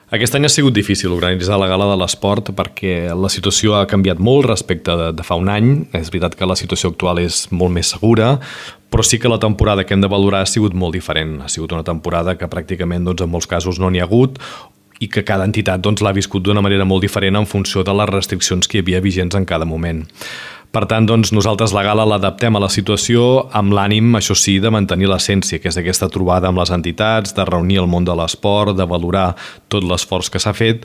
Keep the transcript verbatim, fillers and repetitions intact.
Aquest any ha sigut difícil organitzar la gala de l'esport perquè la situació ha canviat molt respecte de, de fa un any. És veritat que la situació actual és molt més segura, però sí que la temporada que hem de valorar ha sigut molt diferent. Ha sigut una temporada que pràcticament doncs, en molts casos no n'hi ha hagut i que cada entitat doncs, l'ha viscut d'una manera molt diferent en funció de les restriccions que hi havia vigents en cada moment. Per tant, doncs, nosaltres la gala l'adaptem a la situació amb l'ànim, això sí, de mantenir l'essència, que és aquesta trobada amb les entitats, de reunir el món de l'esport, de valorar tot l'esforç que s'ha fet,